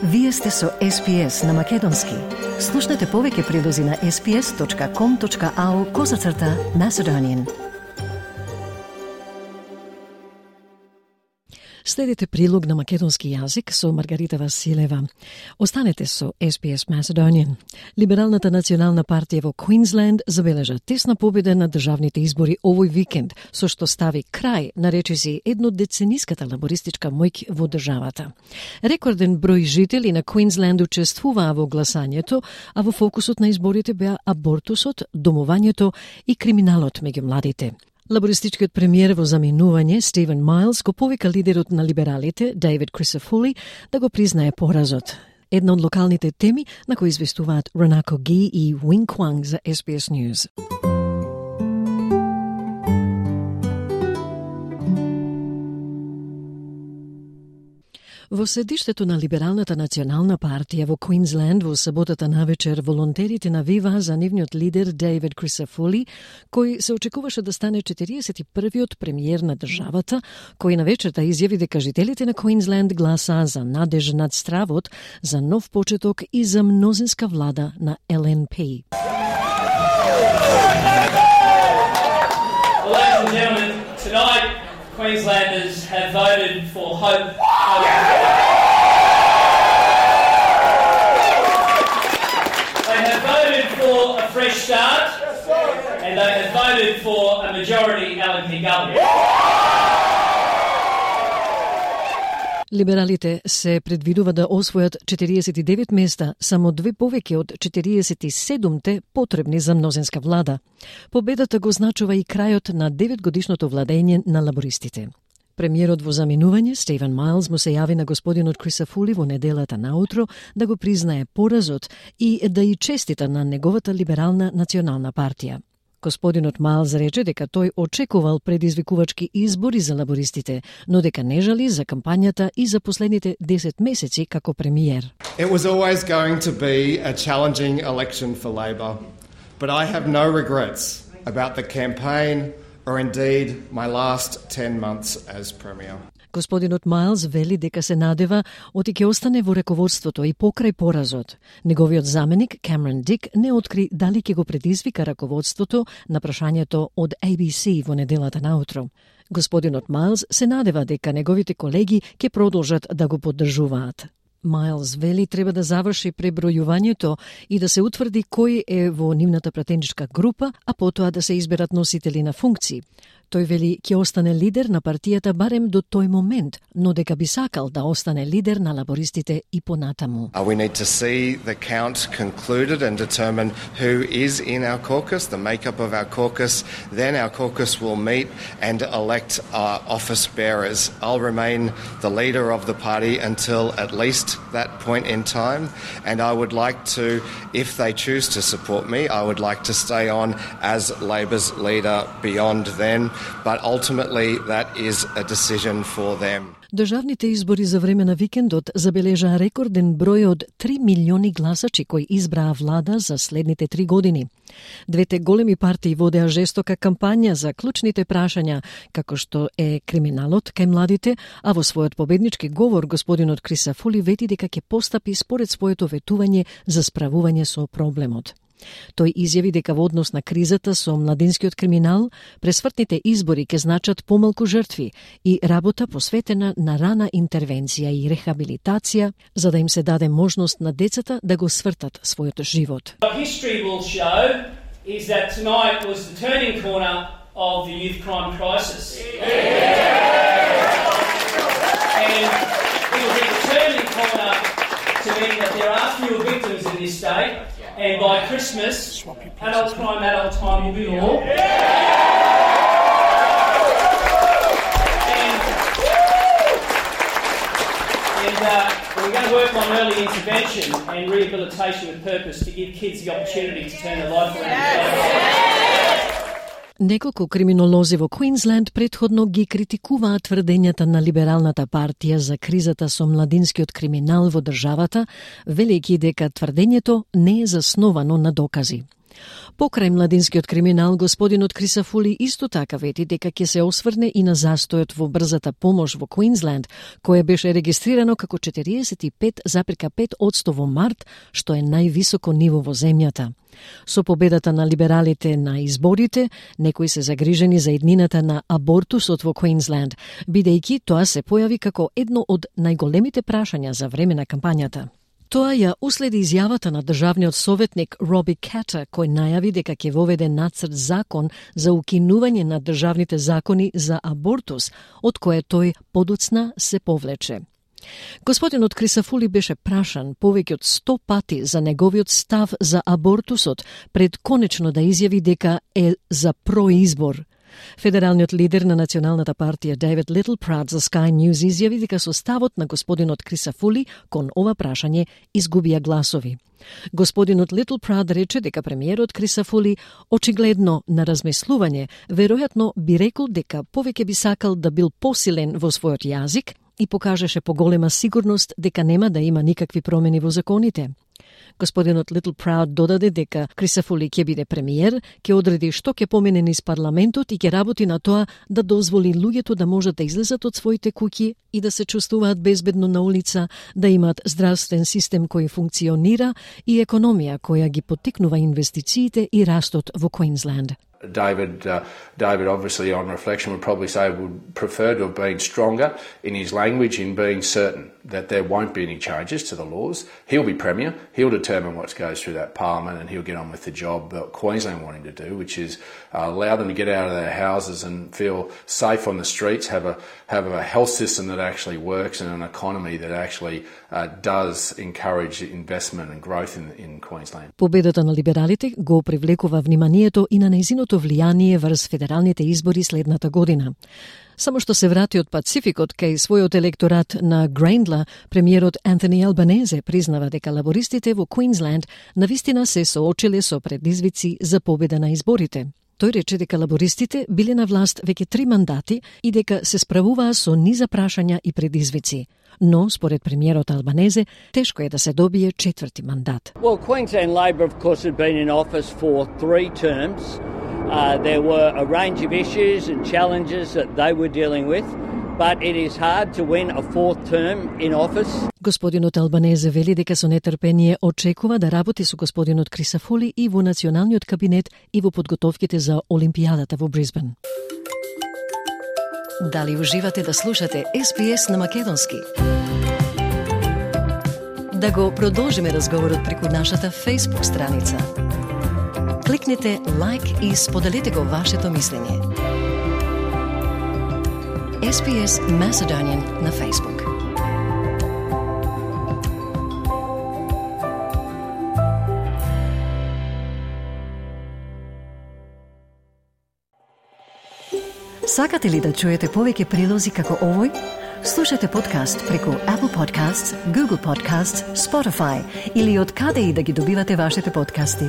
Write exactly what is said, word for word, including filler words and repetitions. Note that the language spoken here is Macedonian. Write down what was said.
Вие сте со Ес Би Ес на Македонски. Слушнете повеќе прилози на ес би ес точка ком точка ау козацрта Macedonian. Следите прилог на македонски јазик со Маргарита Василева. Останете со Ес Би Ес Macedonian. Либералната национална партија во Квинсленд забележа тесна победа на државните избори овој викенд, со што стави крај на речиси еднодецениската лабористичка моќ во државата. Рекорден број жители на Квинсленд учествуваа во гласањето, а во фокусот на изборите беа абортусот, домувањето и криминалот меѓу младите. Лабористичкиот премиер во заминување Стивен Майлс го повика лидерот на либералите Дейвид Крисафули да го признае поразот. Една од локалните теми на кои известуваат Ронако Ги и Уинг Кванг за Ес Би Ес News. Во седиштето на Либералната национална партија во Квинсленд во саботата навечер волонтерите навиваа за нивниот лидер Дейвид Крисафули, кој се очекуваше да стане четириесет и првиот премиер на државата, кој на вечерта изјави дека жителите на Квинсленд гласаа за надеж над стравот, за нов почеток и за мнозинска влада на Ел Ен Пи. Well, ladies and gentlemen, tonight Queenslanders have voted for hope. They have voted for a fresh start, and they have voted for a majority L N P government. Либералите се предвидува да освојат четириесет и девет места, само две повеќе од четириесет и седумте потребни за мнозинска влада. Победата го значува и крајот на деветгодишното владење на лабористите. Премиерот во заминување, Стивен Майлс, му се јави на господинот Крисафули во неделата наутро да го признае поразот и да и честита на неговата либерална национална партија. Господинот Майлс рече дека тој очекувал предизвикувачки избори за лабористите, но дека не жали за кампањата и за последните десет месеци како премиер. It was always going to be a challenging election for Labor, but I have no regrets about the campaign or indeed my last ten months as Premier. Господинот Майлс вели дека се надева оти ќе остане во раководството и покрај поразот. Неговиот заменик, Камерон Дик, не откри дали ќе го предизвика раководството на прашањето од Ей Би Си во неделата наутро. Господинот Майлс се надева дека неговите колеги ќе продолжат да го поддржуваат. Майлс вели треба да заврши пребројувањето и да се утврди кој е во нивната пратеничка група, а потоа да се изберат носители на функции. Тој вели ќе остане лидер на партијата барем до тој момент, но дека би сакал да остане лидер на лабористите и понатаму. We need to see the count concluded and determine who is in our caucus, the makeup of our caucus. Then our caucus will meet and elect our office bearers. I'll remain the leader of the party until at least that point in time, and I would like to, if they choose to support me, I would like to stay on as Labor's leader beyond then. But ultimately that is a decision for them. Државните избори за време на викендот забележаа рекорден број од три милиони гласачи кои избраа влада за следните три години. Двете големи партии водеа жестока кампања за клучните прашања, како што е криминалот кај младите, а во својот победнички говор господинот Крисафули вети дека ќе постапи според своето ветување за справување со проблемот. Тој изјави дека во однос на кризата со младинскиот криминал, пресвртните избори ќе значат помалку жртви и работа посветена на рана интервенција и рехабилитација, за да им се даде можност на децата да го свртат својот живот. What history will show is that tonight was the turning corner of the youth crime crisis. And it will be the turning corner to mean that there are fewer victims in this state. And by Christmas, adult crime, adult time will be law. And, and uh, we're going to work on early intervention and rehabilitation with purpose to give kids the opportunity to turn their life around. Неколку криминолози во Квинсленд претходно ги критикуваа тврдењата на Либералната партија за кризата со младинскиот криминал во државата, велејќи дека тврдењето не е засновано на докази. Покрај младинскиот криминал, господинот Крисафули исто така вети дека ќе се осврне и на застојот во брзата помош во Квинсленд, кое беше регистрирано како четириесет и пет запирка пет одсто во март, што е највисоко ниво во земјата. Со победата на либералите на изборите, некои се загрижени за иднината на абортусот во Квинсленд, бидејќи тоа се појави како едно од најголемите прашања за време на кампањата. Тоа ја уследи изјавата на државниот советник Роби Катер, кој најави дека ќе воведе нацрт закон за укинување на државните закони за абортус, од кое тој подоцна се повлече. Господинот Крисафули беше прашан повеќе од сто пати за неговиот став за абортусот, пред конечно да изјави дека е за произбор. Федералниот лидер на Националната партија Дейвид Литлпрад за Sky News изјави дека со ставот на господинот Крисафули кон ова прашање изгубија гласови. Господинот Литлпрад рече дека премиерот Крисафули очигледно на размислување веројатно би рекол дека повеќе би сакал да бил посилен во својот јазик и покажеше поголема сигурност дека нема да има никакви промени во законите. Господинот Литлпрад додаде дека Крисафули ќе биде премиер, ќе одреди што ќе помине низ парламентот и ќе работи на тоа да дозволи луѓето да можат да излезат од своите куќи и да се чувствуваат безбедно на улица, да имаат здравствен систем кој функционира и економија која ги поттикнува инвестициите и растот во Квинсленд. David, uh, David obviously on reflection would probably say would prefer to have been stronger in his language in being certain that there won't be any changes to the laws. He'll be Premier, he'll determine what goes through that Parliament and he'll get on with the job that Queensland want him to do, which is uh, allow them to get out of their houses and feel safe on the streets, have a, have a health system that actually works and an economy that actually uh, does encourage investment and growth in, in Queensland. Победата на либералите го привлекува вниманието и на нејзиното влијание врз федералните избори следната година. Само што се врати од Пацификот кај својот електорат на Грейндла, премиерот Антони Албанезе признава дека лабористите во Квинсленд навистина се соочиле со предизвици за победа на изборите. Тој рече дека лабористите биле на власт веќе три мандати и дека се справуваа со низа прашања и предизвици. Но, според премиерот Албанезе, тешко е да се добие четврти мандат. Well, Queensland Labor, of course, had been in office for three terms. Uh, there were a range of issues and challenges that they were dealing with, but it is hard to win a fourth term in office. Господинот Албанезе вели дека со нетрпение очекува да работи со господинот Крисафули и во националниот кабинет и во подготовките за Олимпијадата во Брисбен. Дали уживате да слушате Ес Би Ес на македонски? Да го продолжиме разговорот преку нашата Facebook страница. Кликнете лайк и споделете го вашето мислење. Ес Би Ес Macedonian на Facebook. Сакате ли да чуете повеќе прилози како овој? Слушате подкаст преку Apple Podcasts, Google Podcasts, Spotify или од каде и да ги добивате вашите подкасти.